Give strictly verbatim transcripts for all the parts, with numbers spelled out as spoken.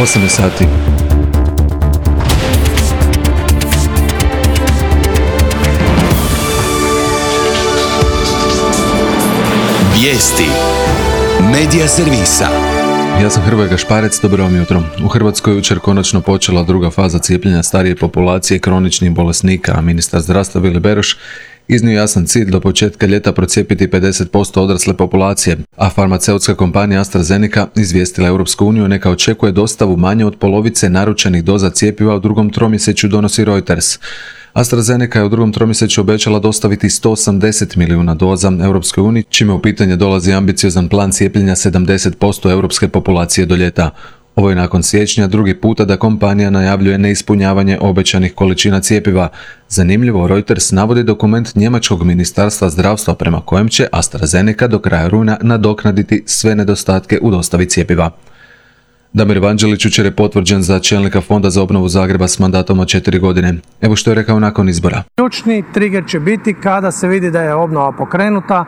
osam sati. Vijesti Medija servisa. Ja sam Hrvoje Gašparec, dobro vam jutro. U Hrvatskoj jučer konačno počela druga faza cijepljenja starije populacije kroničnih bolesnika, a ministar zdravstva Vili Beroš iznio jasan cilj do početka ljeta procijepiti pedeset posto odrasle populacije, a farmaceutska kompanija AstraZeneca izvijestila Europsku uniju neka očekuje dostavu manje od polovice naručenih doza cjepiva u drugom tromjesečju, donosi Reuters. AstraZeneca je u drugom tromjesečju obećala dostaviti sto osamdeset milijuna doza Europskoj uniji, čime u pitanje dolazi ambiciozan plan cijepljenja sedamdeset posto europske populacije do ljeta. Ovo je nakon siječnja drugi puta da kompanija najavljuje neispunjavanje obećanih količina cjepiva. Zanimljivo, Reuters navodi dokument njemačkog ministarstva zdravstva prema kojem će AstraZeneca do kraja rujna nadoknaditi sve nedostatke u dostavi cjepiva. Damir Vanđelić jučer je potvrđen za čelnika Fonda za obnovu Zagreba s mandatom od četiri godine. Evo što je rekao nakon izbora. Ključni trigger će biti kada se vidi da je obnova pokrenuta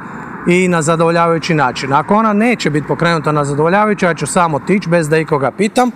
i na zadovoljavajući način. Ako ona neće biti pokrenuta na zadovoljavajući, ja ću samo otići bez da ikoga pitam.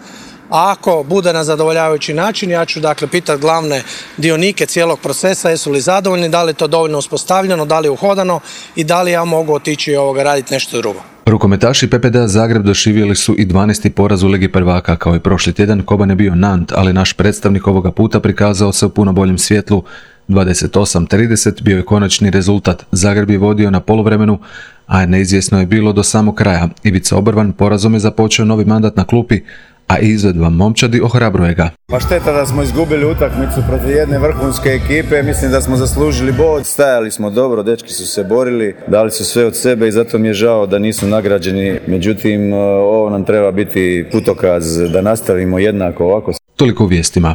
A ako bude na zadovoljavajući način, ja ću dakle pitati glavne dionike cijelog procesa jesu li zadovoljni, da li je to dovoljno uspostavljeno, da li je uhodano i da li ja mogu otići i ovoga raditi nešto drugo. Rukometaši P P D A Zagreb doživjeli su i dvanaesti poraz u Ligi prvaka. Kao i prošli tjedan, Koban je bio Nant, ali naš predstavnik ovoga puta prikazao se u puno boljem svjetlu. dvadeset osam trideset bio je konačni rezultat. Zagreb je vodio na poluvremenu, a neizvjesno je bilo do samog kraja. Ivica Obrvan porazom je započeo novi mandat na klupi, a izvedba momčadi ohrabruje ga. Pa šteta da smo izgubili utakmicu protiv jedne vrhunske ekipe, mislim da smo zaslužili bod. Stajali smo dobro, dečki su se borili, dali su sve od sebe i zato mi je žao da nisu nagrađeni. Međutim, ovo nam treba biti putokaz da nastavimo jednako ovako. Toliko u vijestima.